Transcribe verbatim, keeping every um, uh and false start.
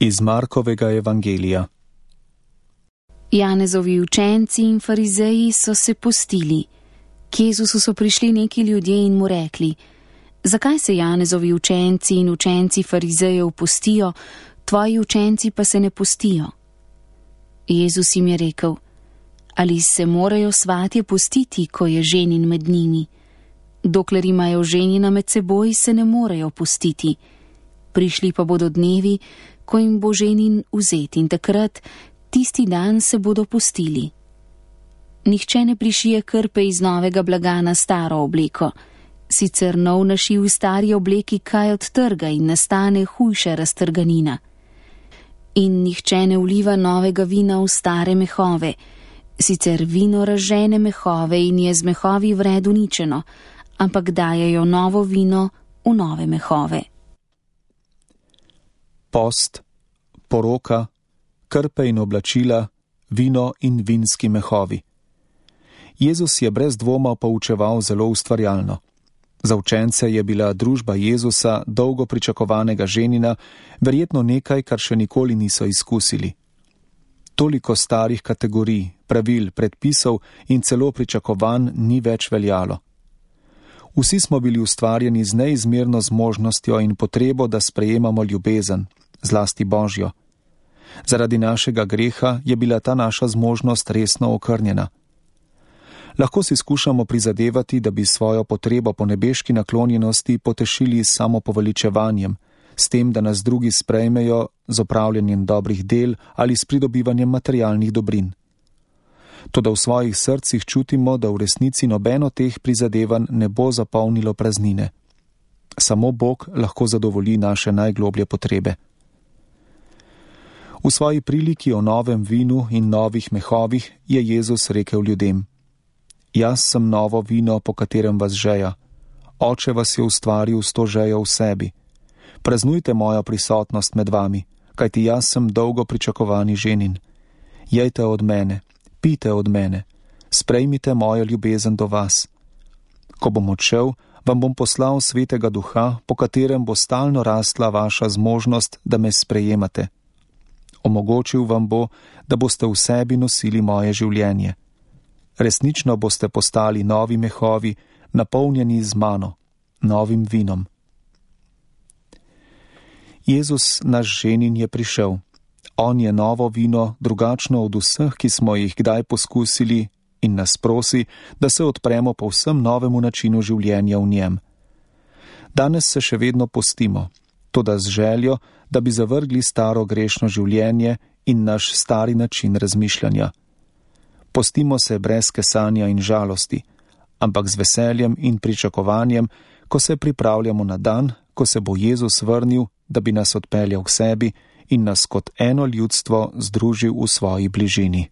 Iz Markovega evangelija. Janezovi učenci in farizeji so se postili. K Jezusu so prišli neki ljudje in mu rekli: zakaj se Janezovi učenci in učenci farizejev postijo, tvoji učenci pa se ne postijo? Jezus jim je rekel: ali se morajo svatje postiti, ko je ženin med njimi? Dokler imajo ženina med seboj, se ne morejo postiti. Prišli pa bodo dnevi, ko jim bo ženin vzet, in takrat, tisti dan, se bodo postili. Nihče ne prišije krpe iz novega blaga na staro obleko. Sicer nov našiv v stari obleki kaj odtrga in nastane hujša raztrganina. In nihče ne vliva novega vina v stare mehove. Sicer vino razžene mehove in je z mehovi vred uničeno, ampak dajejo novo vino v nove mehove. Post, poroka, krpe in oblačila, vino in vinski mehovi. Jezus je brez dvoma poučeval zelo ustvarjalno. Za učence je bila družba Jezusa, dolgo pričakovanega ženina, verjetno nekaj, kar še nikoli niso izkusili. Toliko starih kategorij, pravil, predpisov in celo pričakovanj ni več veljalo. Vsi smo bili ustvarjeni z neizmerno zmožnostjo in potrebo, da sprejemamo ljubezen, zlasti Božjo. Zaradi našega greha je bila ta naša zmožnost resno okrnjena. Lahko si skušamo prizadevati, da bi svojo potrebo po nebeški naklonjenosti potešili s samopoveličevanjem, s tem, da nas drugi sprejmejo z opravljanjem dobrih del ali s pridobivanjem materialnih dobrin. Toda v svojih srcih čutimo, da v resnici nobeno teh prizadevanj ne bo zapolnilo praznine. Samo Bog lahko zadovolji naše najgloblje potrebe. V svoji priliki o novem vinu in novih mehovih je Jezus rekel ljudem: jaz sem novo vino, po katerem vas žeja. Oče vas je ustvaril s to žejo v sebi. Praznujte mojo prisotnost med vami, kajti jaz sem dolgo pričakovani ženin. Jejte od mene, pijte od mene, sprejmite mojo ljubezen do vas. Ko bom odšel, vam bom poslal svetega duha, po katerem bo stalno rastla vaša zmožnost, da me sprejemate. Omogočil vam bo, da boste v sebi nosili moje življenje. Resnično boste postali novi mehovi, napolnjeni z mano, novim vinom. Jezus, naš ženin, je prišel. On je novo vino, drugačno od vseh, ki smo jih kdaj poskusili, in nas prosi, da se odpremo povsem novemu načinu življenja v njem. Danes se še vedno postimo, toda z željo, da bi zavrgli staro grešno življenje in naš stari način razmišljanja. Postimo se brez kesanja in žalosti, ampak z veseljem in pričakovanjem, ko se pripravljamo na dan, ko se bo Jezus vrnil, da bi nas odpeljal k sebi in nas kot eno ljudstvo združil v svoji bližini.